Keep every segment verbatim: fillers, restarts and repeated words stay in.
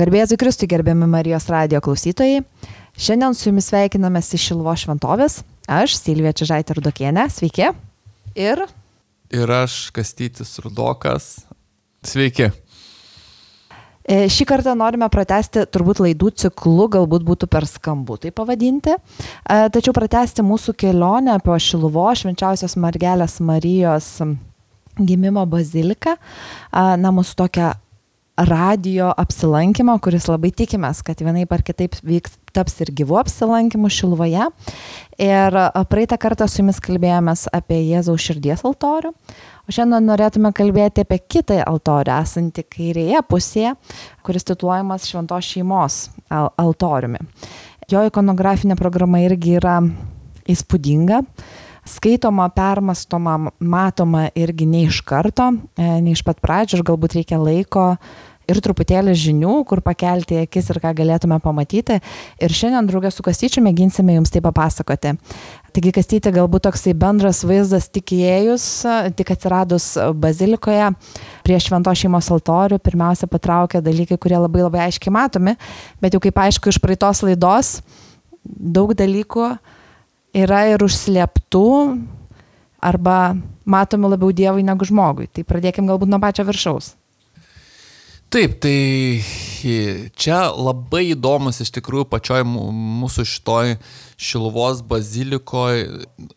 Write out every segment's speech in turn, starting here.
Garbė Jėzui Kristui, gerbiami Marijos radijo klausytojai. Šiandien su jumis sveikinamės iš Šiluvos šventovės. Aš, Silvija Čižaitė Rudokienė. Sveiki. Ir... Ir aš, Kastytis Rudokas. Sveiki. Šį kartą norime pratęsti turbūt laidų ciklu, galbūt būtų per skambu tai pavadinti. Tačiau pratęsti mūsų kelionę po Šiluvos švenčiausios mergelės Marijos gimimo baziliką. Na, mūsų tokią radijo apsilankymą, kuris labai tikimės, kad vienaip ar kitaip vyks, taps ir gyvų apsilankymų Šiluvoje. Ir praeitą kartą su jumis kalbėjomės apie Jėzaus širdies altorių, o šiandien norėtume kalbėti apie kitą altorių, esantį kairėje pusėje, kuris tituluojamas Šventos šeimos altoriumi. Jo ikonografinė programa irgi yra įspūdinga. Skaitoma, permastoma, matoma irgi ne iš karto, ne iš pat pradžių, ir galbūt reikia laiko ir truputėlį žinių, kur pakelti akis ir ką galėtume pamatyti. Ir šiandien draugė su Kastyčiu mėginsime jums tai papasakoti. Taigi, Kastyti, galbūt toksai bendras vaizdas tik įėjus, tik atsiradus bazilikoje prie Šventos šeimos altorių, pirmiausia patraukia dalykai, kurie labai labai aiškiai matomi, bet jau kaip aišku iš praeitos laidos, daug dalykų yra ir užslėptų arba matomi labiau Dievui negu žmogui. Tai pradėkim galbūt nuo pačio viršaus. Taip, tai čia labai įdomus iš tikrųjų pačioj mūsų šitoj Šiluvos bazilikoje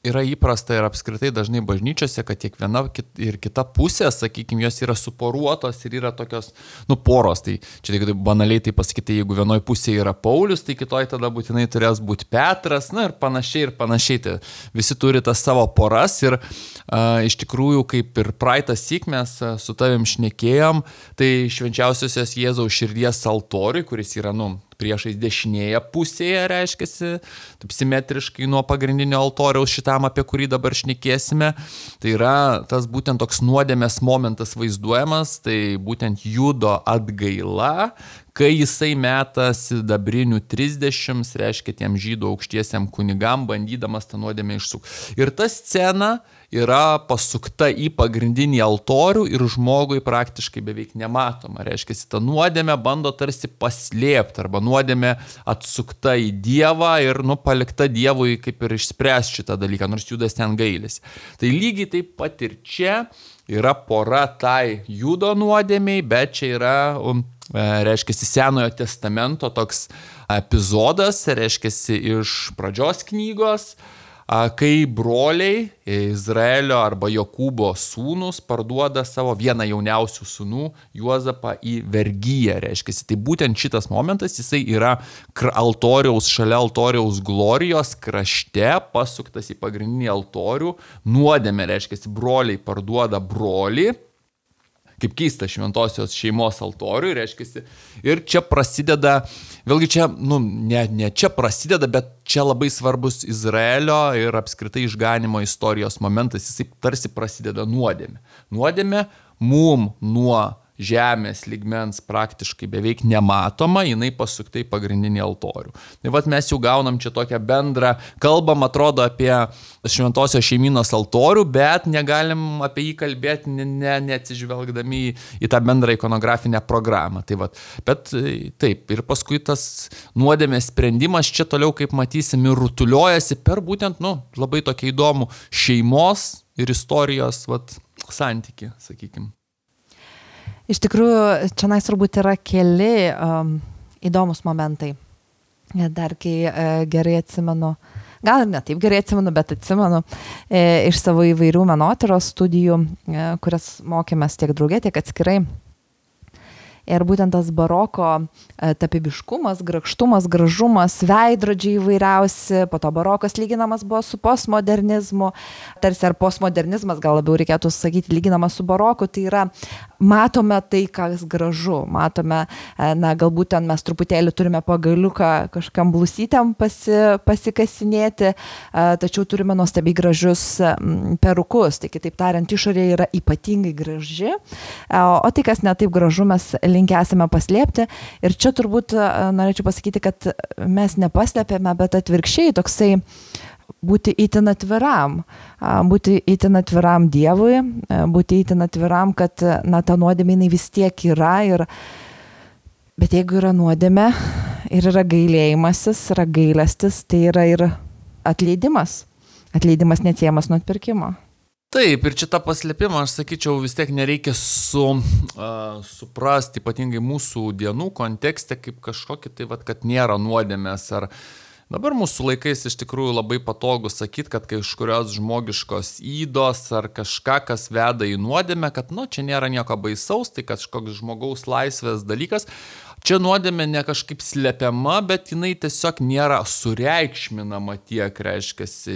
yra įprasta ir apskritai dažnai bažnyčiose, kad tiek viena ir kita pusė, sakykime, jos yra suporuotos ir yra tokios, nu, poros. Tai čia tik banaliai tai pasakyti, jeigu vienoje pusėje yra Paulius, tai kitoje tada būtinai turės būti Petras, na ir panašiai ir panašiai. Tai visi turi tas savo poras ir a, iš tikrųjų, kaip ir praeitą syk mes su tavim šnekėjom, tai švenčiausiosios Jėzaus širdies altoriui, kuris yra, nu, priešais dešinėje pusėje, reiškiasi, taip simetriškai nuo pagrindinio altoriaus šitam, apie kurį dabar šnekėsime. Tai yra tas būtent toks nuodėmės momentas vaizduojamas, tai būtent Judo atgaila, kai jisai meta sidabrinių trisdešimt, reiškia tiem žydų aukštiesiam kunigam, bandydamas tą nuodėmę išsukti. Ir ta scena yra pasukta į pagrindinį altorių ir žmogui praktiškai beveik nematoma. Reiškia, ta nuodėmė bando tarsi paslėpti arba nuodėmė atsukta į Dievą ir nu, palikta Dievui kaip ir išspręsti šitą dalyką, nors Judas ten gailisi. Tai lygiai taip pat ir čia yra pora tai Judo nuodėmiai, bet čia yra, um, reiškia, Senojo testamento toks epizodas, reiškia, iš pradžios knygos, kai broliai Izraelio arba Jokūbo sūnus parduoda savo vieną jauniausių sūnų Juozapą į vergiją, reiškia. Tai būtent šitas momentas, jisai yra altoriaus, šalia altoriaus glorijos krašte pasuktas į pagrindinį altorių, nuodėmė, reiškia, broliai parduoda brolį, kaip keista šventosios šeimos altoriui, reiškia. Ir čia prasideda, vėlgi čia, nu, ne, ne čia prasideda, bet čia labai svarbus Izraelio ir apskritai išganimo istorijos momentas, jisai tarsi prasideda nuodėmė. Nuodėmė mum nuo žemės lygmens praktiškai beveik nematoma, jinai pasukta į pagrindinį altorių. Tai vat mes jau gaunam čia tokią bendrą, kalbam atrodo apie šventosios šeimynos altorių, bet negalim apie jį kalbėti ne, ne, neatsižvelgdami į, į tą bendrą ikonografinę programą. Tai vat, bet taip, ir paskui tas nuodėmės sprendimas čia toliau, kaip matysim, ir rutuliojasi per būtent, nu, labai tokį įdomų šeimos ir istorijos vat, santykį, sakykim. Iš tikrųjų, čia nais turbūt yra keli um, įdomus momentai. Dar kai e, gerai atsimenu, gal ir ne taip gerai atsimenu, bet atsimenu e, iš savo įvairių menotyros studijų, e, kurias mokėmės tiek draugė, tiek atskirai. Ir būtent tas baroko tapybiškumas, grakštumas, gražumas, veidrodžiai įvairiausi, po to barokas lyginamas buvo su postmodernizmu, tarsi ar postmodernizmas, gal labiau reikėtų sakyti, lyginamas su baroku, tai yra matome tai, kas gražu, matome, na, galbūt ten mes truputėlį turime pagaliuką kažkam blusytėm pasi, pasikasinėti, tačiau turime nuostabiai gražius perukus, tai kitaip tariant, išorė yra ypatingai graži, o tai, kas ne taip gražu, mes linkę esame paslėpti. Ir čia turbūt norėčiau pasakyti, kad mes nepaslėpėme, bet atvirkščiai toksai būti itin atviram, būti itin atviram Dievui, būti itin atviram, kad na, ta nuodėmė jinai vis tiek yra ir Bet jeigu yra nuodėmė ir yra gailėjimasis, yra gailestis, tai yra ir atleidimas. Atleidimas neatsiejamas nuo atpirkimo. Taip, ir čia tą paslėpimą, aš sakyčiau, vis tiek nereikia su, uh, suprasti, ypatingai mūsų dienų kontekste, kaip kažkokį tai, vat, kad nėra nuodėmės. Ar dabar mūsų laikais iš tikrųjų labai patogu sakyti, kad kažkurios žmogiškos įdos ar kažką, kas veda į nuodėmę, kad nu, čia nėra nieko baisaus, tai kažkoks žmogaus laisvės dalykas. Čia nuodėmė ne kažkaip slepiama, bet jinai tiesiog nėra sureikšminama tiek, reiškiasi.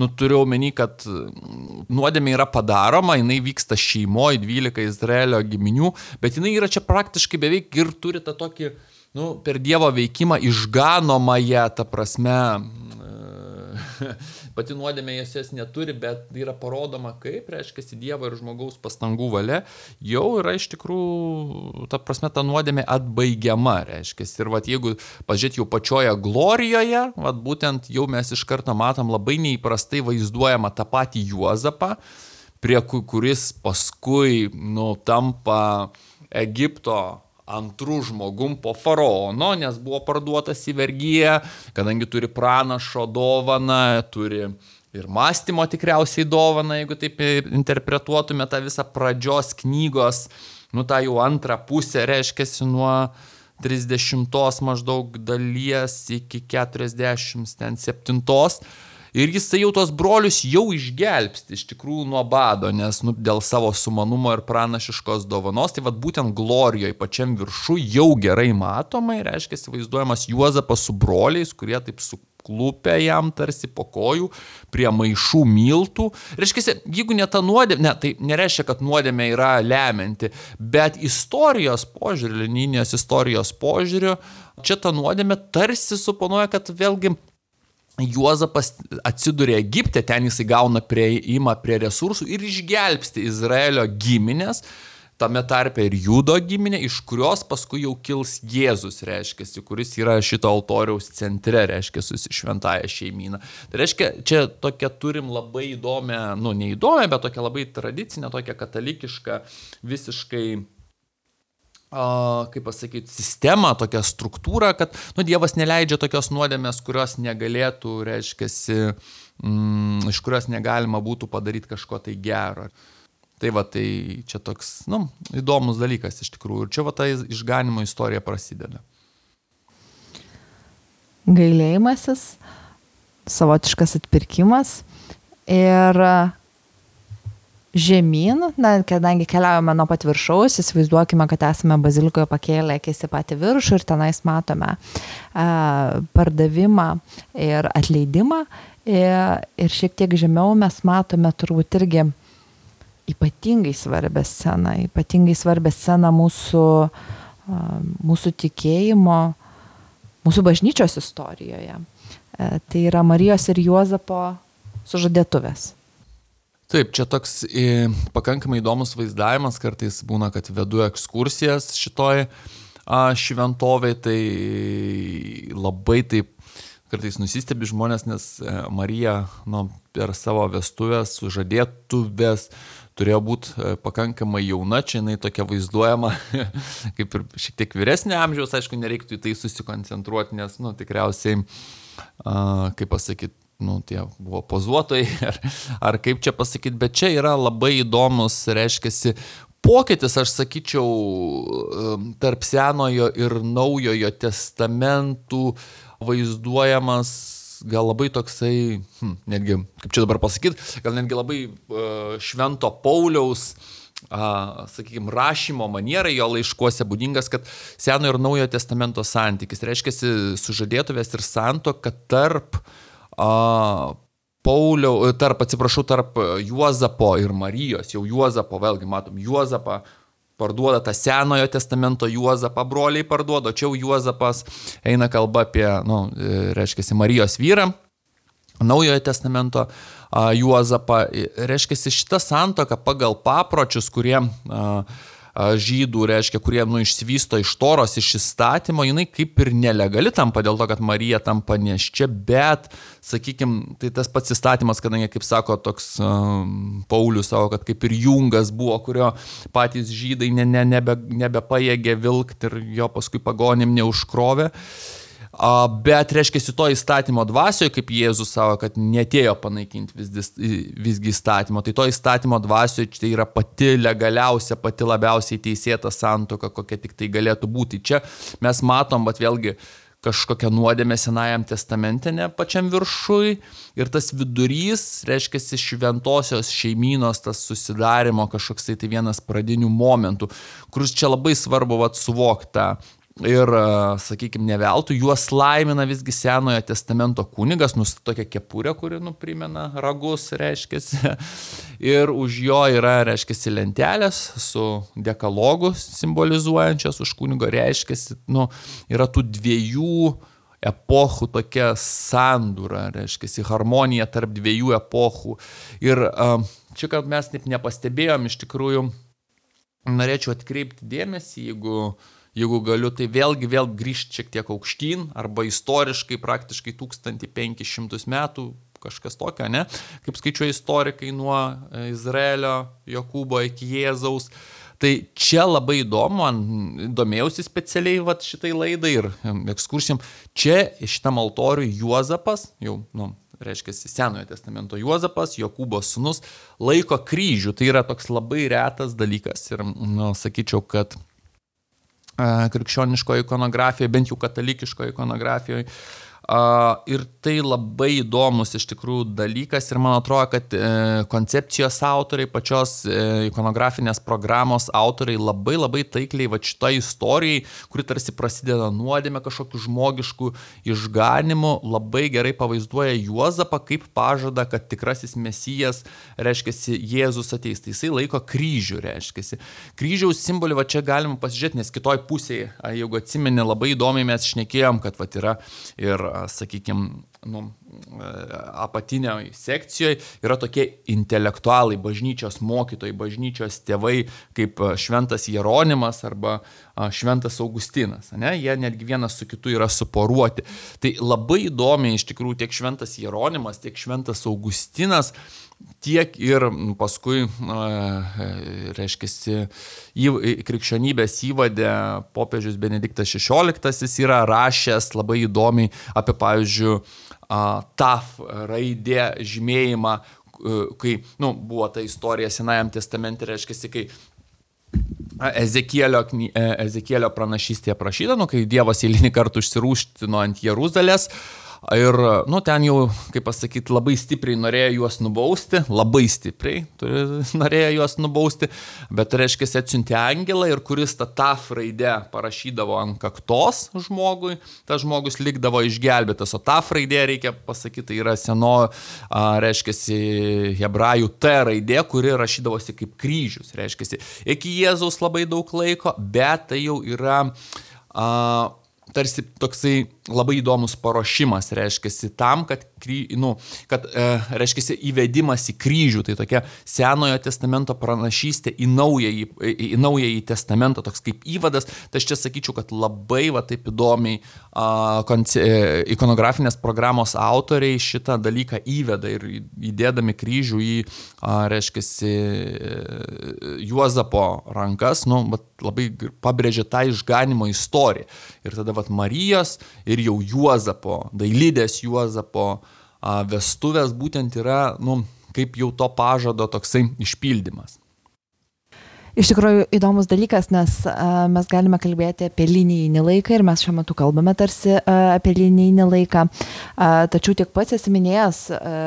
Nu, turiu omeny, kad nuodėmė yra padaroma, jinai vyksta šeimoje, dvylika Izraelio giminių, bet jinai yra čia praktiškai beveik ir turi tą tokį, nu, per Dievo veikimą išganomąją, ta prasme, pati nuodėmė jas jas neturi, bet yra parodoma, kaip, reiškia, Dievo ir žmogaus pastangų valia, jau yra iš tikrųjų, ta prasme, ta nuodėmė atbaigiama, reiškia. Ir vat, jeigu pažiūrėt jau pačioje glorijoje, vat, būtent jau mes iš karto matom labai neįprastai vaizduojama tą patį Juozapą, prie kuris paskui, nu, tampa Egipto antrų žmogum po faraono, nes buvo parduotas į vergiją, kadangi turi pranašo dovaną, turi ir mąstymo tikriausiai dovaną, jeigu taip interpretuotume tą visą pradžios knygos, nu tą jau antrą pusę, reiškiasi nuo trisdešimtos maždaug dalies iki keturiasdešimt septintos. Ir jisai jau tos brolius jau išgelbsti iš tikrųjų nuo bado, nes nu, dėl savo sumanumo ir pranašiškos dovanos, tai vat būtent glorijoje pačiam viršų jau gerai matomai, reiškia, vaizduojamas Juozapas su broliais, kurie taip suklupę jam tarsi po kojų prie maišų miltų. Reiškia, jeigu ne ta nuodėmė, ne, tai nereiškia, kad nuodėmė yra lemianti, bet istorijos požiūriu, linijos istorijos požiūriu, čia ta nuodėmė tarsi suponuoja, kad vėlgi Juozapas atsiduria Egipte, ten jisai gauna prieimą prie resursų ir išgelbsti Izraelio giminės, tame tarpe ir Judo giminė, iš kurios paskui jau kils Jėzus, reiškia, kuris yra šito altoriaus centre, reiškia, su šventąja šeimyna. Tai reiškia, čia tokia turim labai įdomią, nu neįdomią, bet tokia labai tradicinę, tokia katalikišką, visiškai Uh, kaip pasakyti, sistemą, tokią struktūrą, kad nu, Dievas neleidžia tokios nuodėmės, kurios negalėtų, reiškiasi, mm, iš kurios negalima būtų padaryti kažko tai gero. Tai va, tai čia toks, nu, įdomus dalykas iš tikrųjų. Ir čia va, ta išganimo istorija prasideda. Gailėjimasis, savotiškas atpirkimas ir žemyn, na, kadangi keliaujame nuo pat viršaus, įsivaizduokime, kad esame bazilikoje pakėlę akis į patį viršų ir tenais matome a, pardavimą ir atleidimą ir, ir šiek tiek žemiau mes matome turbūt irgi ypatingai svarbią sceną, ypatingai svarbią sceną mūsų, a, mūsų tikėjimo, mūsų bažnyčios istorijoje. A, tai yra Marijos ir Juozapo sužadėtuvės. Taip, čia toks e, pakankamai įdomus vaizdavimas, kartais būna, kad vedu ekskursijas šitoj a, šventovėj, tai labai taip kartais nusistebi žmonės, nes e, Marija nu, per savo vestuvės, sužadėtuvės turėjo būti e, pakankamai jauna, čia jinai tokia vaizduojama, kaip ir šiek tiek vyresnė amžiaus, aišku, nereiktų į tai susikoncentruoti, nes nu, tikriausiai, a, kaip pasakyti, nu, tie buvo pozuotojai, ar, ar kaip čia pasakyti, bet čia yra labai įdomus, reiškiasi, pokytis, aš sakyčiau, tarp Senojo ir Naujojo testamentų vaizduojamas gal labai toksai, hm, netgi, kaip čia dabar pasakyti, gal netgi labai uh, Švento Pauliaus, uh, sakykime, rašymo manierai jo laiškuose būdingas, kad Senojo ir Naujojo testamento santykis, reiškiasi, sužadėtuvės ir santuoka tarp A, Pauliau, tarp, atsiprašau, tarp Juozapo ir Marijos, jau Juozapo, vėlgi matom, Juozapą parduoda tą Senojo testamento Juozapą, broliai parduoda, čia jau Juozapas eina kalba apie, nu, reiškiasi, Marijos vyrą, Naujojo testamento a, Juozapą, reiškiasi, šita santuoka pagal papročius, kurie a, žydų, reiškia, kurie nu, išsivysto iš Toros, iš įstatymo, jinai kaip ir nelegali tampa dėl to, kad Marija tampa neščia, bet, sakykime, tai tas pats įstatymas, kadangi, kaip sako toks um, Paulius savo, kad kaip ir jungas buvo, kurio patys žydai ne, ne, nebe, nebepajėgė vilkti ir jo paskui pagonim neužkrovė. Bet, reiškia, to įstatymo dvasioje, kaip Jėzus savo, kad netėjo panaikinti vis, visgi įstatymo, tai to įstatymo dvasioje tai yra pati legaliausia, pati labiausiai teisėta santuoka, kokia tik tai galėtų būti. Čia mes matom, bet vėlgi, kažkokią nuodėmę Senajam testamente ne pačiam viršui ir tas vidurys, reiškia, šventosios šeimynos, tas susidarimo kažkoks tai, tai vienas pradinių momentų, kuris čia labai svarbu vat, suvokti. Ir, sakykime, neveltui, juos laimina visgi Senojo testamento kunigas, nu, tokia kepurė, kuri, nu, primena ragus, reiškiasi. Ir už jo yra, reiškiasi, lentelės su dekalogu simbolizuojančios, už kunigo reiškiasi, nu, yra tų dviejų epochų tokia sandūra, reiškiasi, harmonija tarp dviejų epochų. Ir čia, kad mes taip nepastebėjom, iš tikrųjų, norėčiau atkreipti dėmesį, jeigu Jeigu galiu, tai vėlgi vėl grįžti šiek tiek aukštyn, arba istoriškai praktiškai tūkstantį penkis šimtus metų, kažkas tokio, ne? Kaip skaičiuoja istorikai nuo Izraelio, Jokūbo iki Jėzaus. Tai čia labai įdomu, man domėjausi specialiai vat, šitai laidai ir ekskursijom. Čia šitam altoriui Juozapas, jau, nu, reiškia, Senojo testamento Juozapas, Jokūbo sūnus, laiko kryžių. Tai yra toks labai retas dalykas ir, nu, sakyčiau, kad krikščioniškoje ikonografijoje, bent jau katalikiškoje ikonografijoje. Uh, ir tai labai įdomus iš tikrųjų dalykas ir man atrodo, kad e, koncepcijos autoriai, pačios e, ikonografinės programos autoriai labai labai taikliai va šitą istorijai, kuri tarsi prasideda nuodėmė kažkokiu žmogišku išganimu, labai gerai pavaizduoja Juozapą kaip pažada, kad tikrasis mesijas, reiškiasi, Jėzus ateis. Tai jisai laiko kryžių, reiškiasi. Kryžiaus simbolį va čia galima pasižiūrėti, nes kitoj pusėje, jeigu atsimeni, labai įdomiai mes šnekėjom, kad va yra ir sakykime, nu, apatinėje sekcijoje yra tokie intelektualai, bažnyčios mokytojai, bažnyčios tėvai, kaip šventas Jeronimas arba šventas Augustinas. Ne? Jie netgi vienas su kitu yra suporuoti. Tai labai įdomiai iš tikrųjų tiek šventas Jeronimas, tiek šventas Augustinas, tiek ir paskui, reiškiasi, krikščionybės įvadė popiežius Benediktas šešioliktasis yra rašęs labai įdomiai apie, pavyzdžiui, taf raidė žymėjimą, kai, nu, buvo ta istorija Senajam testamente, reiškiasi, kai Ezekielio, Ezekielio pranašystėje aprašyta, nu, kai Dievas eilinį kartą užsirūštino ant Jeruzalės. Ir, nu, ten jau, kaip pasakyti, labai stipriai norėjo juos nubausti, labai stipriai norėjo juos nubausti, bet, reiškia, atsiuntė angelą ir kuris tą taf raidę parašydavo ant kaktos žmogui, tas žmogus likdavo išgelbėtas, o taf raidė, reikia pasakyti, tai yra seno, reiškia, hebrajų T raidė, kuri rašydavosi kaip kryžius, reiškia, iki Jėzaus labai daug laiko, bet tai jau yra a, tarsi toksai labai įdomus paruošimas, reiškiasi, tam, kad, nu, kad e, reiškiasi, įvedimas į kryžių, tai tokia Senojo testamento pranašystė į naująjį, į, į naująjį testamentą, toks kaip įvadas, tai aš čia sakyčiau, kad labai va taip įdomiai a, konce, ikonografinės programos autoriai šitą dalyką įveda ir įdėdami kryžių į, a, reiškiasi, Juozapo rankas, nu, labai pabrėžia tą išganimo istoriją. Ir tada vat Marijos ir jau Juozapo, dailidės Juozapo a, vestuvės būtent yra, nu, kaip jau to pažado toksai išpildymas. Iš tikrųjų įdomus dalykas, nes a, mes galime kalbėti apie linijinį laiką ir mes šiuo metu kalbame tarsi a, apie linijinį laiką. A, tačiau tiek pats esi minėjęs, a,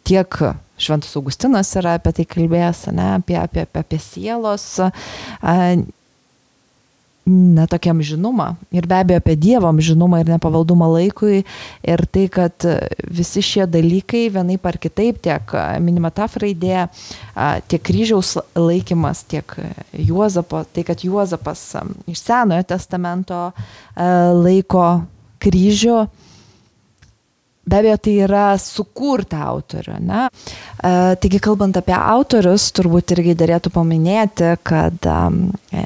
tiek Šventas Augustinas yra apie tai kalbėjęs, ne, apie, apie, apie sielos a, na, tokia amžinumą ir be abejo apie Dievo amžinumą ir nepavaldumą laikui ir tai, kad visi šie dalykai vienaip ar kitaip, tiek minima taf raidė, tiek kryžiaus laikymas, tiek Juozapo, tai kad Juozapas iš Senojo testamento laiko kryžių, be abejo, tai yra sukurta autorių, ne? E, taigi, kalbant apie autorius, turbūt irgi derėtų paminėti, kad e,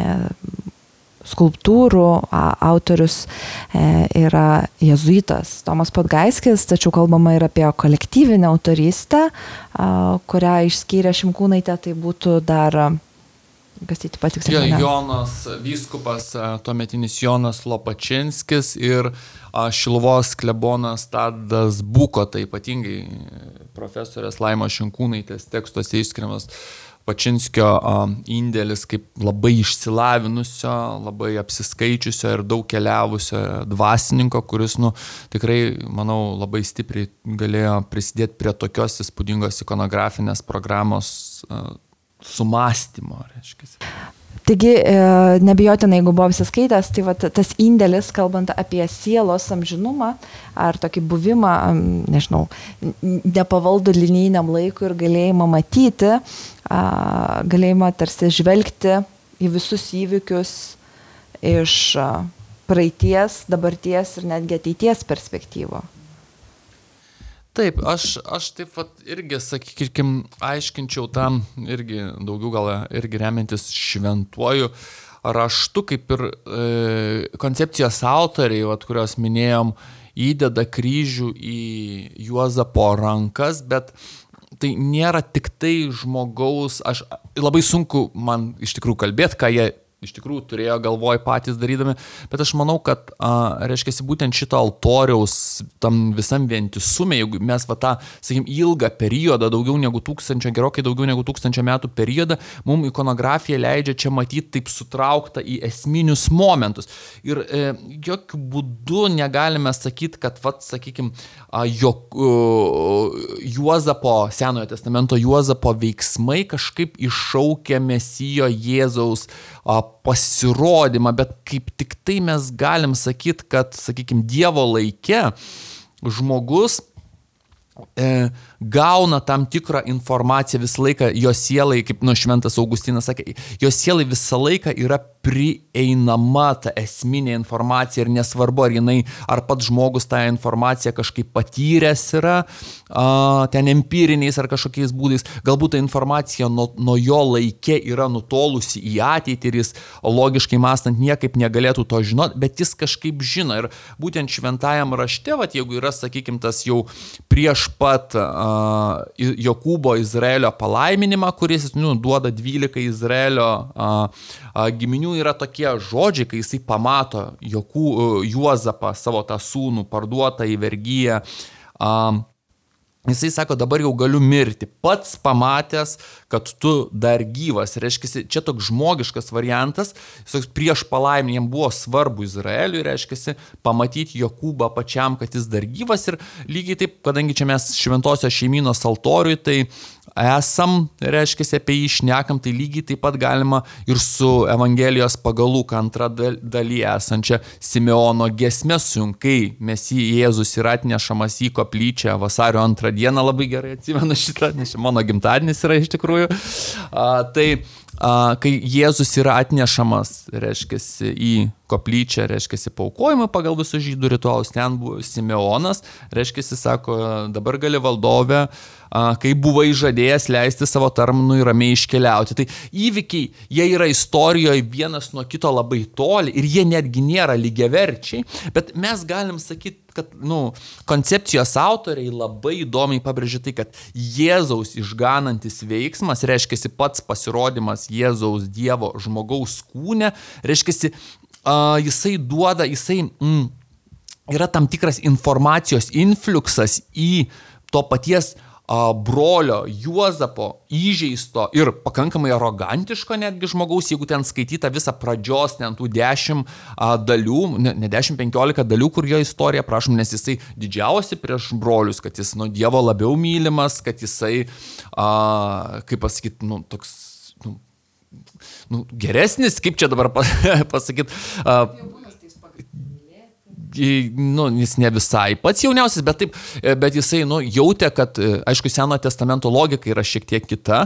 skulptūrų autorius e, yra jėzuitas Tomas Podgaiskis, tačiau kalbama ir apie kolektyvinę autorystę, e, kurią išskyrė Šimkūnaitė, tai būtų dar Kastyti patikslinti. Ja, Jonas vyskupas, tuometinis Jonas Lopačinskis ir Šiluvos klebonas Tadas Buko, tai ypatingai profesorės Laimos Šinkūnaitės tekstuose išskiriamas Pačinskio indėlis kaip labai išsilavinusio, labai apsiskaičiusio ir daug keliavusio dvasininko, kuris, nu, tikrai, manau, labai stipriai galėjo prisidėti prie tokios įspūdingos ikonografinės programos sumąstymo, reiškia. Taigi, nebijotinai, jeigu buvo visi skaitęs, tai va, tas indėlis, kalbant apie sielos amžinumą, ar tokį buvimą, nežinau, nepavaldų linijiniam laikui ir galėjimą matyti, galėjimą tarsi žvelgti į visus įvykius iš praeities, dabarties ir netgi ateities perspektyvo. Taip, aš, aš taip vat irgi, sakykim, aiškinčiau tam irgi daugiau gal irgi remiantis šventuoju raštu, kaip ir e, koncepcijos autoriai, vat, kurios minėjom, įdeda kryžių į Juozapo rankas, bet tai nėra tik tai žmogaus, aš labai sunku man iš tikrųjų kalbėti, ką jie iš tikrųjų turėjo galvoj patys darydami, bet aš manau, kad, a, reiškia, būtent šito altoriaus tam visam vientisume, jeigu mes va tą, sakykim, ilgą periodą, daugiau negu tūkstančio, gerokai daugiau negu tūkstančio metų periodą, mums ikonografija leidžia čia matyti taip sutrauktą į esminius momentus. Ir e, jokių būdų negalime sakyti, kad, va, sakykim, a, jok, uh, Juozapo, Senojo testamento Juozapo veiksmai kažkaip iššaukia Mesijo Jėzaus a, pasirodymą, bet kaip tik tai mes galim sakyti, kad, sakykime, Dievo laike žmogus e, gauna tam tikrą informaciją visą laiką, jo sielai, kaip nu, Šventas Augustinas sakė, jo sielai visą laiką yra prieinama ta esminė informacija ir nesvarbu, ar jinai, ar pats žmogus tą informaciją kažkaip patyręs yra, a, ten empiriniais ar kažkokiais būdais, galbūt ta informacija nuo, nuo jo laike yra nutolusi į ateitį ir jis logiškai mąstant niekaip negalėtų to žinoti, bet jis kažkaip žino ir būtent šventajam rašte, vat, jeigu yra, sakykim, tas jau prieš pat a, Jokūbo Izraelio palaiminimą, kuris nu, duoda dvylika Izraelio a, a, giminių, yra tokie žodžiai, kai jisai pamato Jokų, Juozapą, savo tą sūnų parduotą į vergiją. Um, jisai sako, dabar jau galiu mirti, pats pamatęs, kad tu dar gyvas. Reiškia, čia toks žmogiškas variantas, prieš palaiminimą jam buvo svarbu Izraeliui, reiškia, pamatyti Jokūbą pačiam, kad jis dar gyvas ir lygiai taip, kadangi čia mes šventosios šeimynos altoriui, tai esam, reiškia, apie jį šnekam, tai lygiai taip pat galima ir su Evangelijos pagal Luką antra dalyje esančia Simeono giesme sunkai Mesijas Jėzus yra atnešamas į koplyčią vasario antrą dieną, labai gerai atsimenu šitą, nes mano gimtadienis yra iš tikrųjų. A, tai a, kai Jėzus yra atnešamas, reiškia, į koplyčią, reiškia, paaukojimą pagal visus žydų ritualus, ten buvo Simeonas, reiškia, sako, dabar gali valdove, kai buvai žadėjęs leisti savo tarnui ramiai iškeliauti. Tai įvykiai, jie yra istorijoje vienas nuo kito labai toli ir jie netgi nėra lygiaverčiai, bet mes galim sakyti, kad nu, koncepcijos autoriai labai įdomiai pabrėžia tai, kad Jėzaus išganantis veiksmas, reiškia pats pasirodymas Jėzaus Dievo žmogaus kūne, reiškia uh, jisai duoda, jisai mm, yra tam tikras informacijos infliuksas į to paties brolio Juozapo įžeisto ir pakankamai arogantiško netgi žmogaus, jeigu ten skaityta visą pradžios, ten tų dešimt dalių, ne, ne dešimt, penkiolika dalių, kur jo istorija, prašom, nes jisai didžiausi prieš brolius, kad jis nuo Dievo labiau mylimas, kad jisai, a, kaip pasakyti, nu, toks, nu, nu, geresnis, kaip čia dabar pasakyti, a, nu, jis ne visai pats jauniausias, bet, taip, bet jisai nu, jautė, kad, aišku, Senojo testamento logika yra šiek tiek kita,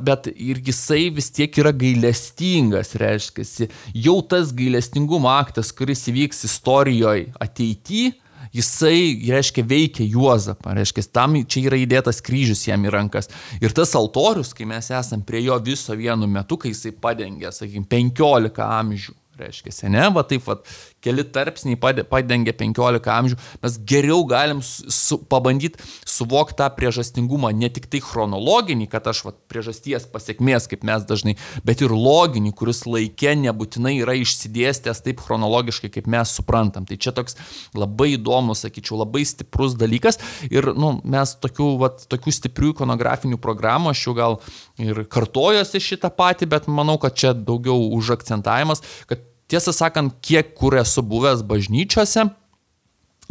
bet ir jisai vis tiek yra gailestingas, reiškia, jau tas gailestingumo aktas, kuris įvyks istorijoje ateityje, jisai, reiškia, veikia Juozapą, reiškia, tam čia yra įdėtas kryžius jam į rankas. Ir tas altorius, kai mes esam prie jo viso vienu metu, kai jisai padengia, sakykime, penkiolika amžių. Reiškia, ne, va taip, va, keli tarpsniai padengia penkiolika amžių, mes geriau galim su, pabandyti suvokti tą priežastingumą, ne tik tai chronologinį, kad aš va, priežasties pasiekmės, kaip mes dažnai, bet ir loginį, kuris laike nebūtinai yra išsidėstęs taip chronologiškai, kaip mes suprantam. Tai čia toks labai įdomus, sakyčiau, labai stiprus dalykas ir nu, mes tokių, va, tokių stiprių ikonografinių programų, aš jau gal ir kartojosi šitą patį, bet manau, kad čia daugiau užakcentavimas, kad tiesą sakant, kiek kur esu buvęs bažnyčiose,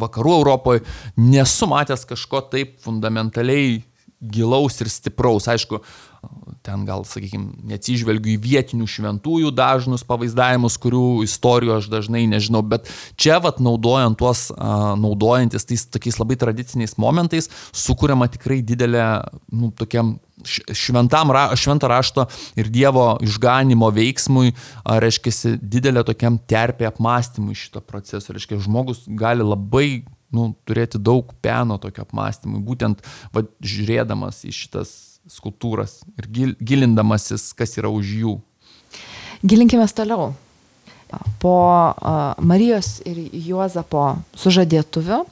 vakarų Europoje, nesu matęs kažko taip fundamentaliai gilaus ir stipraus. Aišku, ten gal, sakykime, neatsižvelgiu į vietinių šventųjų dažnus pavaizdavimus, kurių istorijų aš dažnai nežinau, bet čia vat naudojant tuos, naudojantis tais tokiais labai tradiciniais momentais, sukuriama tikrai didelė, nu, tokiam šventam, švento rašto ir Dievo išganimo veiksmui, reiškia, didelė tokiam terpė apmąstymui šito proceso. Reiškia, žmogus gali labai nu, turėti daug peno tokio apmąstymui, būtent va, žiūrėdamas į šitas skulptūras ir gil, gilindamasis, kas yra už jų. Gilinkime toliau. Po uh, Marijos ir Juozapo sužadėtuvių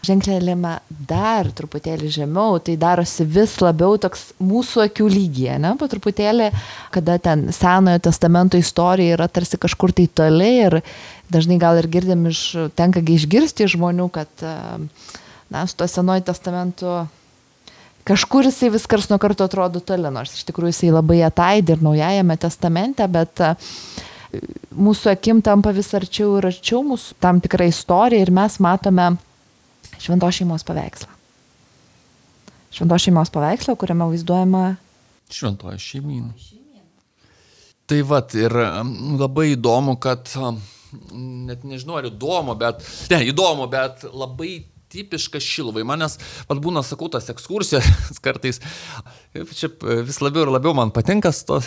ženklelėme dar truputėlį žemiau, tai darosi vis labiau toks mūsų akių lygyje, ne? Po truputėlį, kada ten Senojo testamento istorija yra tarsi kažkur tai toli ir dažnai gal ir girdim iš, tenka išgirsti iš žmonių, kad na, su to Senojo testamentu kažkur jisai vis kars nuo karto atrodo toli, nors iš tikrųjų jisai labai ataidi ir Naujajame testamente, bet mūsų akim tampa vis arčiau ir arčiau mūsų tam tikra istorija ir mes matome Šventos šeimos paveikslą. Šventos šeimos paveikslą, kuriame vaizduojama Šventoji šeimyna. Tai vat ir labai įdomu, kad net nežinau ar įdomu, bet ne, įdomu, bet labai tipiška Šiluvai. Manęs, vat būna, sakau, tas ekskursijas kartais, čia vis labiau ir labiau man patinka tos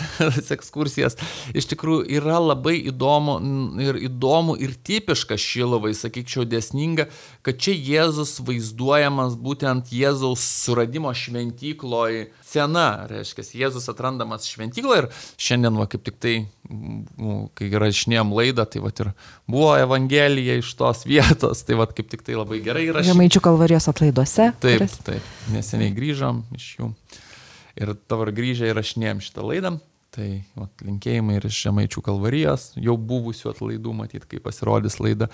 ekskursijas. Iš tikrųjų yra labai įdomu ir įdomu ir tipiška Šiluvai, sakyčiau, dėsninga, kad čia Jėzus vaizduojamas būtent Jėzaus suradimo šventykloj scena. Reiškia, Jėzus atrandamas šventykloje ir šiandien, va, kaip tik tai, kai rašinėjom laidą, tai va ir buvo Evangelija iš tos vietos, tai va kaip tik tai labai gerai įrašyti. Žemaičių Kalvarijos atlaiduose. Taip, kuris... taip, neseniai grįžom iš jų ir dabar grįžę įrašinėjom šitą laidą, tai va, linkėjimai ir iš Žemaičių Kalvarijos, jau buvusių atlaidų, matyt, kai pasirodys laida.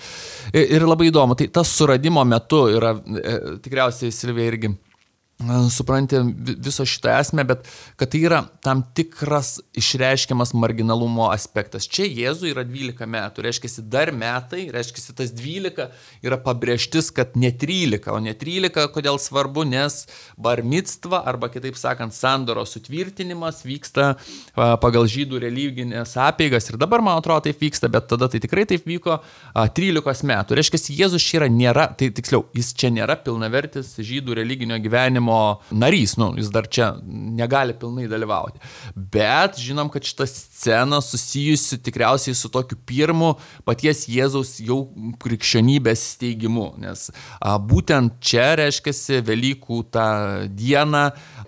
Ir, ir labai įdomu, tai tas suradimo metu yra, e, tikriausiai Silvija irgi supranti viso šitą esmę, bet kad tai yra tam tikras išreiškiamas marginalumo aspektas. Čia Jėzui yra dvylika metų, reiškiasi dar metai, reiškiasi tas dvylika yra pabrėžtis, kad ne trylika, o ne trylika, kodėl svarbu, nes bar micva, arba kitaip sakant, sandoros sutvirtinimas vyksta pagal žydų religinės apeigas ir dabar, man atrodo, taip vyksta, bet tada tai tikrai taip vyko trylikos metų. Reiškiasi, Jėzus čia yra nėra, tai tiksliau, jis čia nėra pilnavertis žydų religinio gyvenimo narys, nu, jis dar čia negali pilnai dalyvauti. Bet žinom, kad šita scena susijusi tikriausiai su tokiu pirmu paties Jėzaus jau krikščionybės steigimu, nes a, būtent čia, reiškiasi, Velykų tą dieną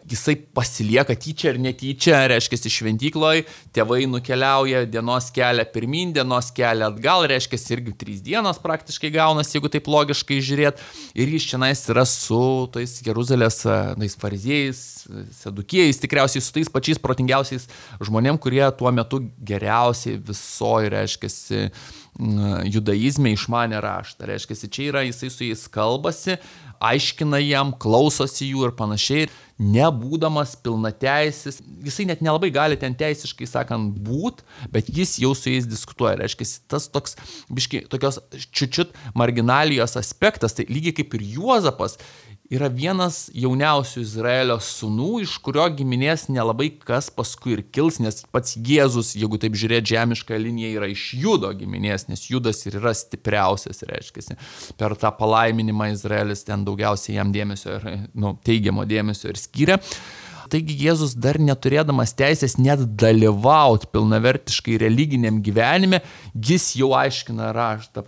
jisai pasilieka tyčia ir netyčia, reiškiasi, šventykloj, tėvai nukeliauja dienos kelią pirmin, dienos kelią atgal, reiškiasi, irgi trys dienos praktiškai gaunasi, jeigu taip logiškai žiūrėt, ir jis čianais yra su tais Jeruzalės tais fariziejais, sadukėjais, tikriausiai su tais pačiais protingiausiais žmonėm, kurie tuo metu geriausiai visoji, reiškiasi, judaizme išmanė raštą. Reiškiasi, čia yra, jisai su jais kalbasi, aiškina jam, klausosi jų ir panašiai, nebūdamas pilnateisis, jisai net nelabai gali ten teisiškai sakant būt, bet jis jau su jais diskutuoja. Reiškiasi, tas toks, biški, tokios čiučiut marginalijos aspektas, tai lygiai kaip ir Juozapas, yra vienas jauniausių Izraelio sūnų, iš kurio giminės nelabai kas paskui ir kils, nes pats Jėzus, jeigu taip žiūrėt žemišką liniją, yra iš Judo giminės, nes Judas ir yra stipriausias, reiškiasi. Per tą palaiminimą Izraelis ten daugiausiai jam dėmesio ir, nu, teigiamo dėmesio ir skyrė. Taigi Jėzus dar neturėdamas teisės net dalyvauti pilnavertiškai religiniam gyvenime, jis jau aiškina raštą,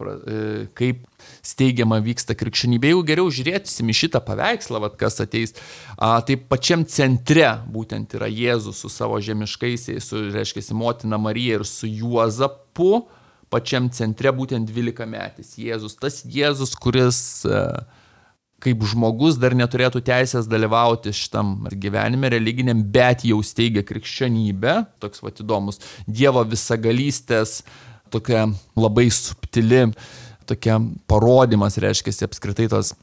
kaip steigiama vyksta krikščionybė. Jeigu geriau žiūrėsim į šitą paveikslą, vat, kas ateis, a, tai pačiam centre būtent yra Jėzus su savo žemiškaisiais, su, reiškia, motina Marija ir su Juozapu, pačiam centre būtent dvylikametis Jėzus. Tas Jėzus, kuris a, kaip žmogus dar neturėtų teisės dalyvauti šitam gyvenime religiniam, bet jau steigia krikščionybę, toks vat įdomus, Dievo visagalystės, tokia labai subtili, tokia parodimas, reiškia, apskritai tos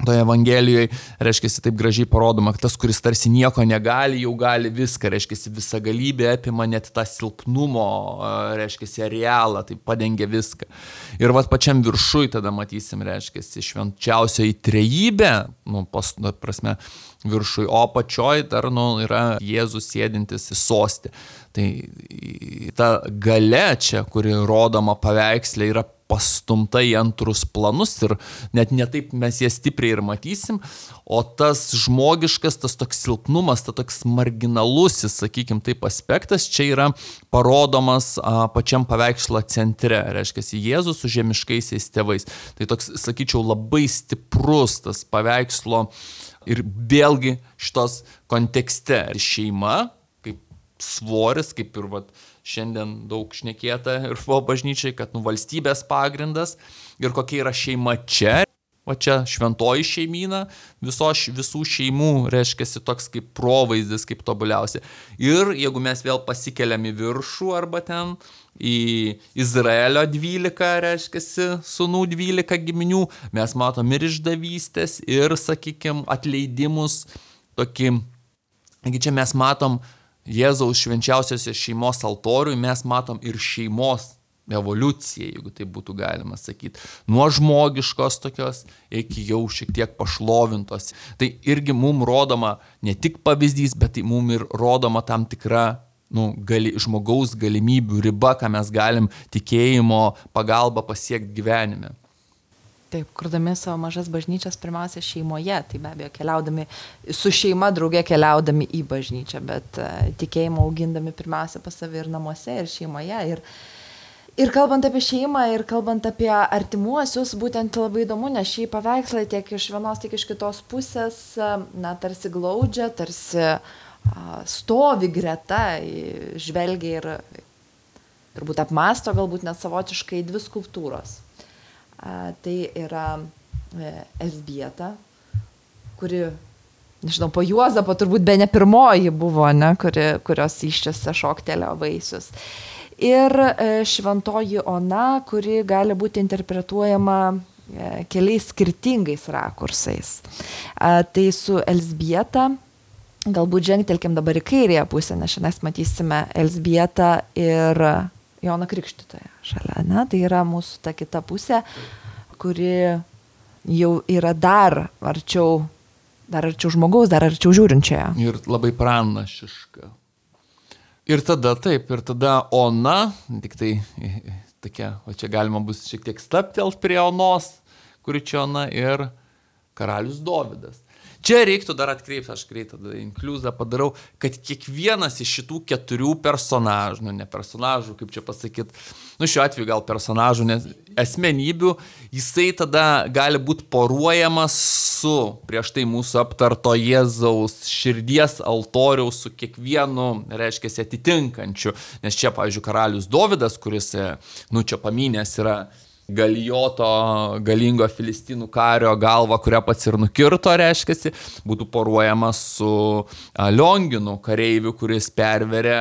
toje Evangelijoje, reiškia, taip gražiai parodoma, kad tas, kuris tarsi nieko negali, jau gali viską, reiškia, visagalybė apima net tą silpnumo, reiškia, realą, tai padengia viską. Ir vat pačiam viršui tada matysim, reiškia, švenčiausioji trejybė, nu, pas, nu, prasme, viršui, o pačioj dar, nu, yra Jėzus sėdintis į sostį. Tai ta galia čia, kuri rodoma paveikslė, yra pastumta į antrus planus ir net netaip mes ją stipriai ir matysim, o tas žmogiškas, tas toks silpnumas, tas toks marginalusis, sakykim, taip aspektas, čia yra parodomas a, pačiam paveikslo centre, reiškia, Jėzus su žemiškaisiais tėvais. Tai toks, sakyčiau, labai stiprus tas paveikslo ir vėlgi šitos kontekste šeima, kaip svoris, kaip ir vat, šiandien daug šnekėta ir buvo bažnyčiai, kad nu, valstybės pagrindas ir kokia yra šeima čia. O čia šventoji šeimyna, visos, visų šeimų, reiškia, toks kaip provaizdis, kaip tobuliausia. Ir jeigu mes vėl pasikeliam į viršų arba ten į Izraelio dvylika, reiškia, sūnų dvylika giminių, mes matom ir išdavystės, ir, sakykime, atleidimus. Tokį, čia mes matom Jėzaus švenčiausiosios šeimos altoriui, mes matom ir šeimos evoliuciją, jeigu tai būtų galima sakyti. Nuo žmogiškos tokios iki jau šiek tiek pašlovintos. Tai irgi mums rodoma ne tik pavyzdys, bet tai mums ir rodoma tam tikra nu, gali, žmogaus galimybių riba, ką mes galim tikėjimo pagalba pasiekti gyvenime. Taip, kurdami savo mažas bažnyčias pirmiausia šeimoje, tai be abejo keliaudami su šeima drauge keliaudami į bažnyčią, bet uh, tikėjimą augindami pirmiausia pas save ir namuose, ir šeimoje. Ir, ir kalbant apie šeimą, ir kalbant apie artimuosius, būtent labai įdomu, nes šį paveikslą tiek iš vienos, tiek iš kitos pusės, na, tarsi glaudžia, tarsi uh, stovi greta, žvelgia ir turbūt apmąsto galbūt net savotiškai dvi skulptūros. A, tai yra e, Elzbieta, kuri, nežinau, po Juozapo turbūt be ne pirmoji buvo, ne, kuri, kurios iščiose šoktelio vaisius. Ir e, šventoji Ona, kuri gali būti interpretuojama e, keliais skirtingais rakursais. A, tai su Elzbieta, galbūt žengtelkim dabar į kairėje pusę, nes šiandien matysime Elzbietą ir Joną Krikštytoją šalia, ne? Tai yra mūsų ta kita pusė, kuri jau yra dar arčiau, dar arčiau žmogaus, dar arčiau žiūrinčioje. Ir labai pranašiška. Ir tada taip, ir tada Ona, tik tai tokia, o čia galima bus šiek tiek staptelt prie Onos, kuri čia Ona, ir karalius Dovydas. Čia reiktų dar atkreipti, aš greitai tada inkliuzą padarau, kad kiekvienas iš šitų keturių personažų, nu ne personažų, kaip čia pasakyti, nu šiuo atveju gal personažų, nes asmenybių, jisai tada gali būti poruojamas su prieš tai mūsų aptarto Jėzaus širdies altoriaus su kiekvienu, reiškia, atitinkančiu. Nes čia, pavyzdžiui, karalius Dovydas, kuris, nu čia paminės, yra Galijoto galingo filistinų kario galva, kurią pats ir nukirto, reiškiasi, būtų poruojamas su Lionginu kareiviu, kuris perverė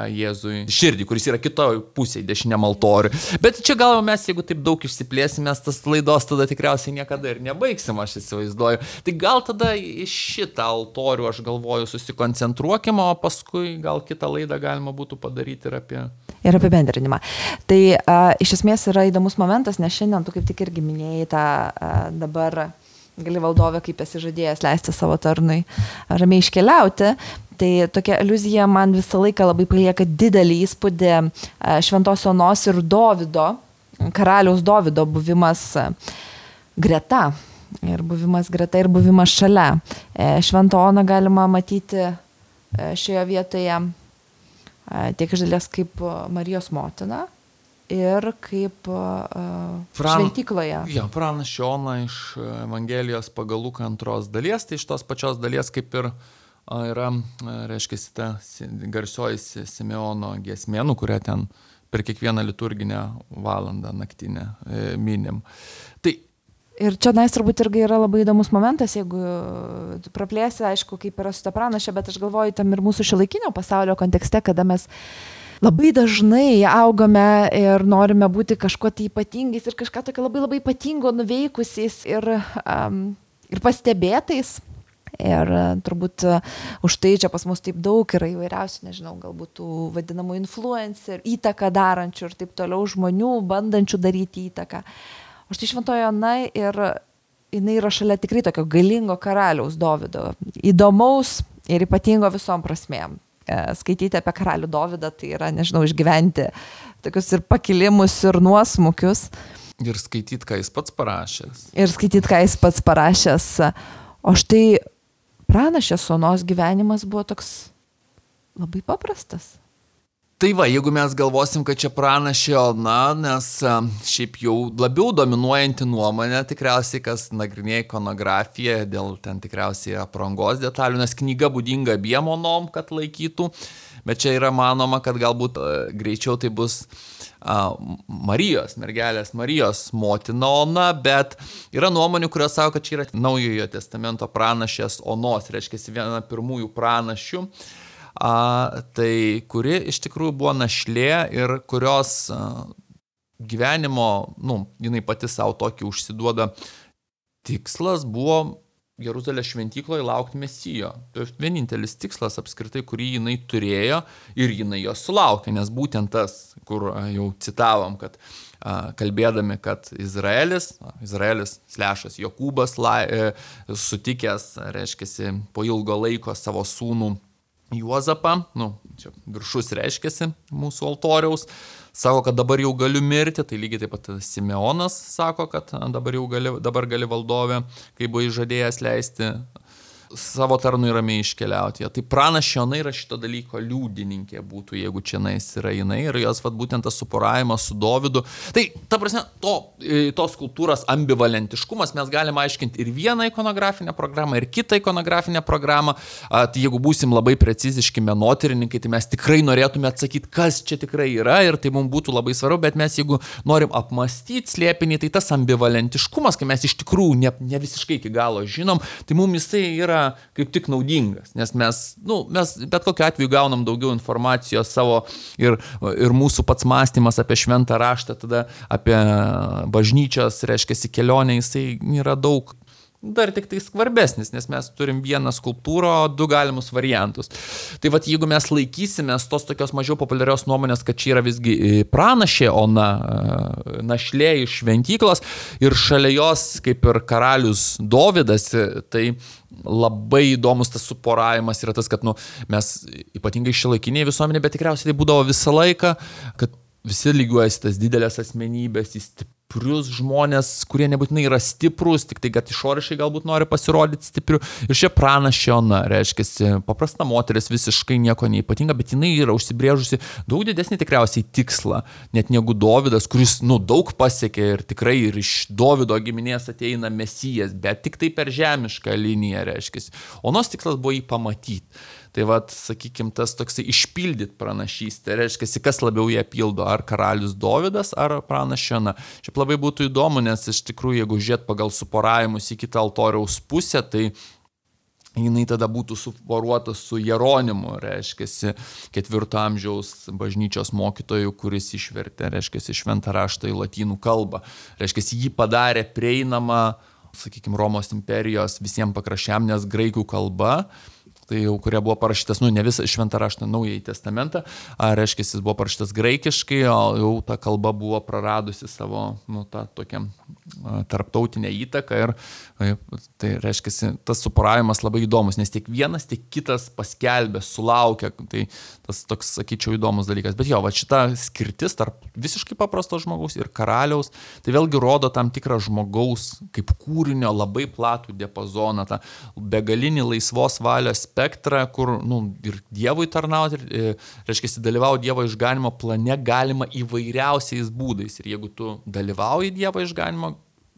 Jėzui širdį, kuris yra kitoje pusėje, dešiniam altoriui. Bet čia gal mes, jeigu taip daug išsiplėsime, tas laidos tada tikriausiai niekada ir nebaigsim, aš įsivaizduoju. Tai gal tada į šitą altorių, aš galvoju, susikoncentruokime, o paskui gal kitą laidą galima būtų padaryti ir apie... Ir apibendrinimą. Tai a, iš esmės yra įdomus momentas, nes šiandien tu kaip tik irgi minėjai tą a, dabar gali valdovę, kaip esi žadėjęs leisti savo tarnui ramiai iškeliauti. Tai tokia aliuzija man visą laiką labai palieka didelį įspūdį a, šventos Onos ir Dovydo, karaliaus Dovydo buvimas a, greta. Ir buvimas greta, ir buvimas šalia. Šventą Oną galima matyti šioje vietoje tiek iš dalies kaip Marijos motina ir kaip Pran... šventykloje. Ja, pranašė Ona iš Evangelijos pagal Luką antros dalies, tai iš tos pačios dalies kaip ir yra, reiškia, ta garsioji Simeono giesmė, nu, kurią ten per kiekvieną liturginę valandą naktinę minim. Tai ir čia nais turbūt irgi yra labai įdomus momentas, jeigu praplėsi, aišku, kaip yra su ta pranašė, bet aš galvoju tam ir mūsų šiuolaikinio pasaulio kontekste, kada mes labai dažnai augame ir norime būti kažkuo tai ypatingais ir kažką tokio labai labai ypatingo nuveikusiais ir, um, ir pastebėtais. Ir turbūt už tai čia pas mus taip daug yra įvairiausių, nežinau, galbūt tų vadinamų influencer, įtaką darančių ir taip toliau žmonių, bandančių daryti įtaką. O štai Šventoji Ona ir jinai yra šalia tikrai tokio galingo karaliaus Dovydo, įdomaus ir ypatingo visom prasmėm. Skaityti apie karalių Dovydą, tai yra, nežinau, išgyventi tokius ir pakilimus, ir nuosmukius. Ir skaityti, ką jis pats parašęs. Ir skaityti, ką jis pats parašęs. O štai pranašės Onos gyvenimas buvo toks labai paprastas. Tai va, jeigu mes galvosim, kad čia pranašė Ona, nes šiaip jau labiau dominuojanti nuomonė, tikriausiai, kas nagrinėja ikonografiją, dėl ten tikriausiai aprangos detalių, nes knyga būdinga abiem Onom, kad laikytų, bet čia yra manoma, kad galbūt greičiau tai bus Marijos, mergelės Marijos motina Ona, bet yra nuomonių, kurios sako, kad čia yra Naujojo testamento pranašės Onos, reiškia viena pirmųjų pranašių. A, tai kuri iš tikrųjų buvo našlė ir kurios a, gyvenimo, nu, jinai pati savo tokį užsiduoda tikslas buvo Jeruzalės šventykloje laukti Mesijo. Tai vienintelis tikslas apskritai, kurį jinai turėjo ir jinai jo sulaukė, nes būtent tas, kur a, jau citavom, kad a, kalbėdami, kad Izraelis, a, Izraelis slešas Jokūbas lai, e, sutikęs, reiškiasi, po ilgo laiko savo sūnų Juozapą, nu, čia viršus reiškiasi mūsų altoriaus, sako, kad dabar jau galiu mirti, tai lygiai taip pat Simeonas sako, kad dabar jau gali, dabar gali valdovė, kai buvo įžadėjęs leisti savo tarnui ramiai iškeliauti. Ja, tai pranašė Ona yra šito dalyko liudininkė būtų, jeigu čia nais yra jinai ir jos vat, būtent tas suporavimas su Dovydu. Tai, ta prasme, to, tos kultūros ambivalentiškumas mes galime aiškinti ir vieną ikonografinę programą, ir kitą ikonografinę programą. A, tai jeigu būsim labai preciziški menotyrininkai, tai mes tikrai norėtume atsakyti, kas čia tikrai yra ir tai mums būtų labai svarbu, bet mes jeigu norim apmastyti slėpinį, tai tas ambivalentiškumas, kai mes iš tikrųjų ne, ne visiškai iki galo žinom, tai mums jisai yra kaip tik naudingas, nes mes, nu, mes bet kokiu atveju gaunam daugiau informacijos savo ir, ir mūsų pats mąstymas apie šventą raštą, tada apie bažnyčios, reiškia, kelionę, jisai yra daug dar tik tai skvarbesnis, nes mes turim vieną skulptūrą, du galimus variantus. Tai vat, jeigu mes laikysimės tos tokios mažiau populiarios nuomonės, kad čia yra visgi pranašė Ona, našlė iš šventyklos ir šalia jos kaip ir karalius Dovydas, tai labai įdomus tas suporavimas yra tas, kad nu, mes ypatingai šiuolaikiniai visuomenė, bet tikriausiai tai būdavo visą laiką, kad visi lygiuojasi tas didelės asmenybės, į stiprius žmonės, kurie nebūtinai yra stiprus, tik tai, kad išoriškai galbūt nori pasirodyti stipriu. Ir šia pranašė Ona, reiškia, paprasta moteris, visiškai nieko neypatinga, bet jinai yra užsibrėžusi daug didesnį tikriausiai tikslą, net negu Dovydas, kuris, nu, daug pasiekė ir tikrai ir iš Dovydo giminės ateina Mesijas, bet tik tai per žemišką liniją, reiškia. Onos tikslas buvo jį pamatyti. Tai vat, sakykime, tas toksai išpildyti pranašystę, reiškia, kas labiau ją pildo, ar karalius Dovydas, ar pranašė Ona. Šiaip labai būtų įdomu, nes iš tikrųjų, jeigu žiūrėt pagal suporavimus į kitą altoriaus pusę, tai jinai tada būtų suporuota su Jeronimu, reiškia, ketvirto amžiaus bažnyčios mokytoju, kuris išvertė, reiškia, šventą raštą į lotynų kalbą. Reiškia, jį padarė prieinamą, sakykime, Romos imperijos visiems pakraščiam, nes graikų kalba tai jau kurie buvo parašytas, nu, ne visą šventą raštą, naująjį testamentą, ar reiškia, jis buvo parašytas graikiškai, o jau ta kalba buvo praradusi savo, nu, tą tokią tarptautinę įtaką ir tai reiškia, tas suporavimas labai įdomus, nes tiek vienas, tiek kitas paskelbė, sulaukia, tai tas toks, sakyčiau, įdomus dalykas. Bet jo, va šita skirtis tarp visiškai paprasto žmogaus ir karaliaus, tai vėlgi rodo tam tikrą žmogaus kaip kūrinio labai platų diapazoną, tą begalinį laisvos valios spektrą, kur nu, ir Dievui tarnauti, ir, reiškia, dalyvauti Dievo išganimo plane galima įvairiausiais būdais. Ir jeigu tu dalyvauji Dievo išganimo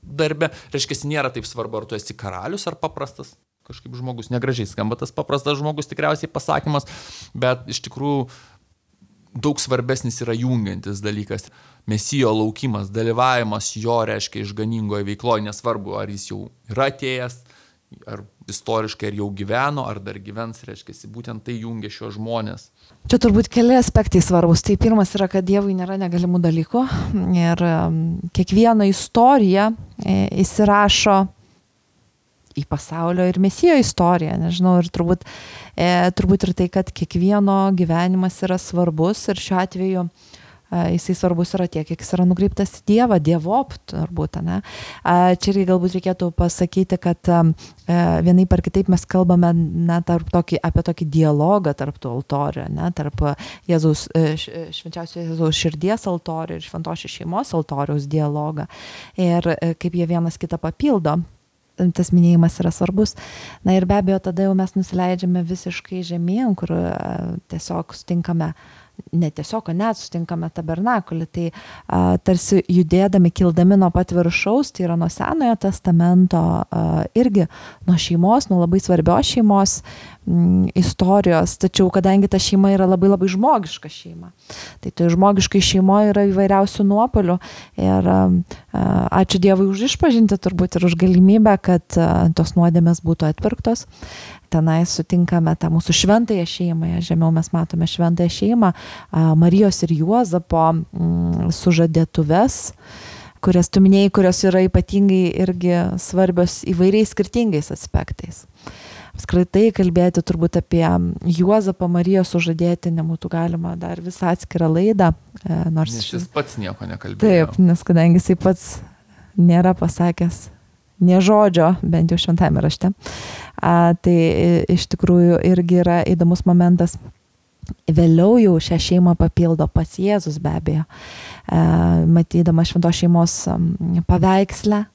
darbe, reiškia, nėra taip svarbu, ar tu esi karalius ar paprastas kažkaip žmogus. Negražiai skamba tas paprastas žmogus tikriausiai pasakymas, bet iš tikrųjų daug svarbesnis yra jungiantis dalykas. Mesijo laukimas, dalyvavimas jo, reiškia, išganingoje veikloje, nesvarbu, ar jis jau yra atėjęs, ar istoriškai, ar jau gyveno, ar dar gyvens, reiškia, būtent tai jungia šios žmonės. Čia turbūt keli aspektai svarbus. Tai pirmas yra, kad Dievui nėra negalimų dalykų ir kiekviena istorija įsirašo į pasaulio ir Mesijo istoriją, nežinau, ir turbūt, e, turbūt ir tai, kad kiekvieno gyvenimas yra svarbus ir šiuo atveju jisai svarbus yra tiek, kiek jis yra nukreiptas į Dievą, Dievop, turbūt, ne? Čia irgi galbūt reikėtų pasakyti, kad vienaip ar kitaip mes kalbame na, tarp tokį, apie tokį dialogą tarp tų altorių, ne? Tarp Jėzaus, švenčiausio Jėzaus širdies altorių ir šventosios šeimos altoriaus dialogą. Ir kaip jie vienas kitą papildo. Tas minėjimas yra svarbus. Na ir be abejo, tada jau mes nusileidžiame visiškai žemyn, kur tiesiog sutinkame ne tiesiog, net sutinkame tabernakulį, tai a, tarsi judėdami, kildami nuo pat viršaus, tai yra nuo Senojo testamento, a, irgi nuo šeimos, nuo labai svarbios šeimos m, istorijos, tačiau kadangi ta šeima yra labai labai žmogiška šeima, tai tai žmogiškai šeimoje yra įvairiausių nuopolių ir a, a, ačiū Dievui už išpažintį turbūt ir už galimybę, kad a, tos nuodėmės būtų atpirktos. Tenai sutinkame tą mūsų šventąją šeimą, žemiau mes matome šventąją šeimą, Marijos ir Juozapo mm, sužadėtuves, kurias tu minėjai, kurios yra ypatingai irgi svarbios įvairiais skirtingais aspektais. Apskritai kalbėti turbūt apie Juozapą Marijos sužadėtinę būtų galima dar visą atskirą laidą. Nors nes jis pats nieko nekalbėjo. Taip, nes kadangi jisai pats nėra pasakęs nė žodžio, bent jau šventame rašte. A, tai iš tikrųjų irgi yra įdomus momentas. Vėliau jau šią šeimą papildo pats Jėzus be abejo. A, matydama šventos šeimos paveikslę,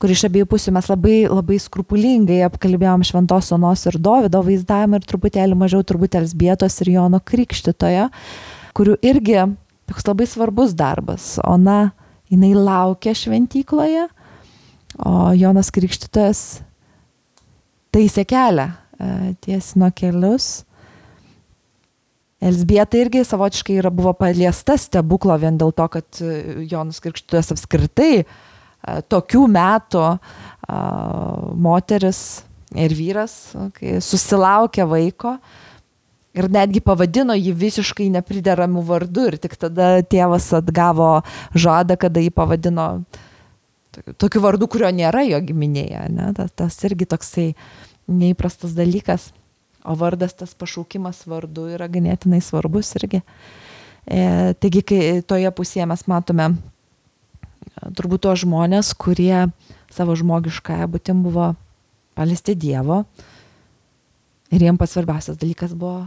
kur iš abiejų pusių mes labai, labai skrupulingai apkalbėjom šventos Onos ir Dovydo vaizdavimą ir truputėlį mažiau turbūt Elzbietos ir Jono Krikštytojo, kurių irgi toks labai svarbus darbas. Ona, jinai laukia šventykloje, o Jonas Krikštytojas taisė kelią, tiesino kelius. Elzbieta irgi savotiškai yra, buvo paliesta stebuklo vien dėl to, kad Jonas Krikštytojas apskritai tokių metų moteris ir vyras, kai susilaukė vaiko ir netgi pavadino jį visiškai neprideramų vardu ir tik tada tėvas atgavo žadą, kada jį pavadino tokiu vardu, kurio nėra jo giminėje. Ne? Tas, tas irgi toksai neįprastas dalykas. O vardas, tas pašaukimas vardu yra ganėtinai svarbus irgi. E, taigi, kai toje pusėje mes matome turbūt tuos žmonės, kurie savo žmogiškąją būtim buvo paliesti Dievo. Ir jiems pats svarbiausias dalykas buvo,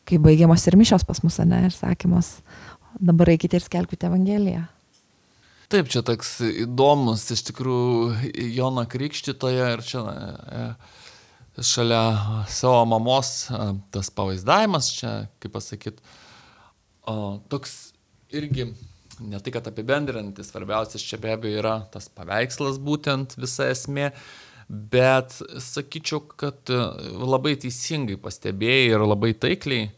kai baigiamos ir mišios pas mus, ne, ir sakymos, dabar eikite ir skelbkite Evangeliją. Taip, čia toks įdomus, iš tikrųjų, Jono Krikštytojo ir čia e, šalia savo mamos e, tas pavaizdavimas, čia, kaip pasakyt, o, toks irgi, ne tai, kad apibendrintis, svarbiausias čia be abejo yra tas paveikslas būtent visa esmė, bet sakyčiau, kad labai teisingai pastebėjai ir labai taikliai,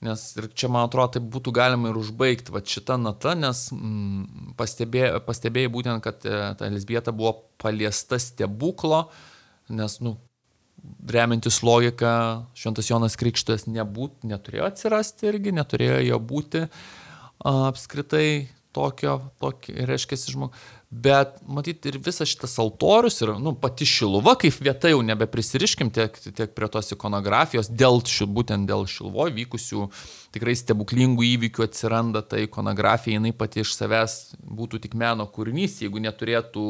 nes ir čia, man atrodo, tai būtų galima ir užbaigti va šitą natą, nes mm, pastebėjai, pastebėjai būtent, kad e, ta Elzbieta buvo paliesta stebuklo, nes, nu, remiantis logika, šventas Jonas Krikštytojas nebūt, neturėjo atsirasti irgi, neturėjo jo būti a, apskritai. tokio, tokio reiškia žmogus. Bet, matyt, ir visas šitas altorius ir, nu, pati Šiluva kaip vieta jau nebeprisiriškim tiek, tiek prie tos ikonografijos, dėl, būtent dėl Šiluvoje vykusių tikrai stebuklingų įvykių atsiranda ta ikonografija, jinai pati iš savęs būtų tik meno kūrinys, jeigu neturėtų,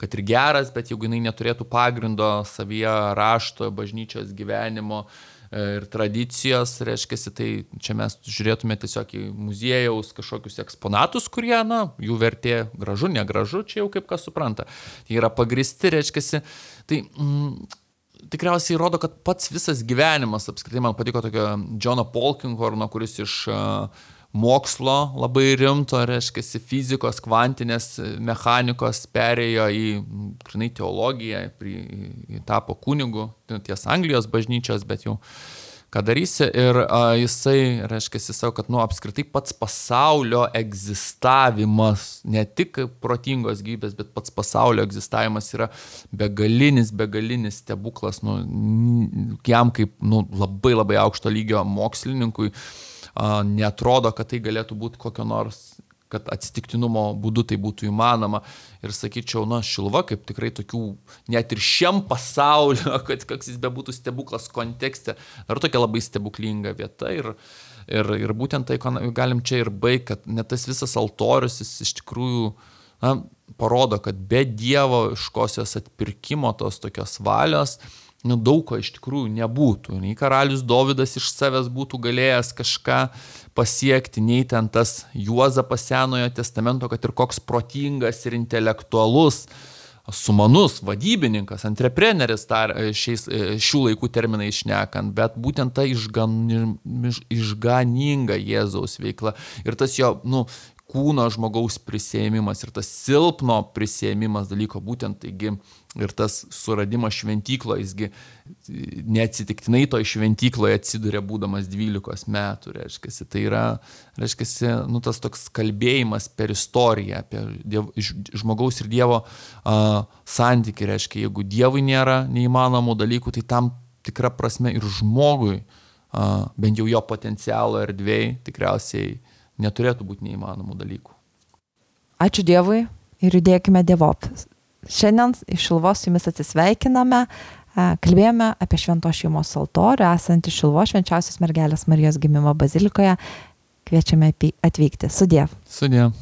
kad ir geras, bet jeigu jinai neturėtų pagrindo savyje rašto, bažnyčios gyvenimo ir tradicijos, reiškia, tai čia mes žiūrėtume tiesiog į muziejaus kažkokius eksponatus, kurie, na, jų vertė gražu, negražu, čia jau kaip kas supranta. Jie yra pagristi, reiškia, tai mm, tikriausiai rodo, kad pats visas gyvenimas, apskritai man patiko tokio Johno Polkinghorno, kuris iš uh, mokslo labai rimto, reiškia, fizikos, kvantinės mechanikos perėjo į grinai teologiją, į, tapo kunigu, ties Anglijos bažnyčios, bet jau ką darysi. Ir a, jisai, reiškia, savo, kad nu, apskritai pats pasaulio egzistavimas, ne tik protingos gyvybės, bet pats pasaulio egzistavimas yra begalinis, begalinis stebuklas, nu, jam kaip nu, labai labai aukšto lygio mokslininkui, Uh, neatrodo, kad tai galėtų būti kokio nors, kad atsitiktinumo būdu tai būtų įmanoma. Ir sakyčiau, na, Šiluva kaip tikrai tokių, net ir šiam pasaulio, kad koks jis bebūtų stebuklas kontekste, ar tokia labai stebuklinga vieta. Ir, ir, ir būtent tai galim čia ir baigti, kad net tas visas altorius, jis iš tikrųjų na, parodo, kad be dievoškosios atpirkimo tos tokios valios, nu, daug ko iš tikrųjų nebūtų. Nei karalius Dovydas iš savęs būtų galėjęs kažką pasiekti, nei ten tas Juozapas Senojo testamento, kad ir koks protingas ir intelektualus, sumanus, vadybininkas, antrepreneris tar, šiais, šių laikų terminais šnekant, bet būtent ta išgan, išganinga Jėzaus veikla ir tas jo, nu, kūno žmogaus prisėmimas ir tas silpno prisėmimas dalyko, būtent taigi ir tas suradimas šventyklo, jisgi neatsitiktinai toj šventykloje atsiduria būdamas dvylikos metų, reiškiasi. Tai yra, reiškiasi, nu, tas toks kalbėjimas per istoriją apie diev, žmogaus ir Dievo uh, santykį, reiškia, jeigu Dievui nėra neįmanomų dalykų, tai tam tikra prasme ir žmogui, uh, bent jau jo potencialo erdvėj, tikriausiai neturėtų būti neįmanomų dalykų. Ačiū Dievui ir judėkime Dievop. Šiandien iš Šiluvos su jumis atsisveikiname, kalbėjome apie Šventos šeimos altorių, esantį Šiluvos Švenčiausios mergelės Marijos gimimo bazilikoje. Kviečiame atvykti. Sudiev. Sudiev.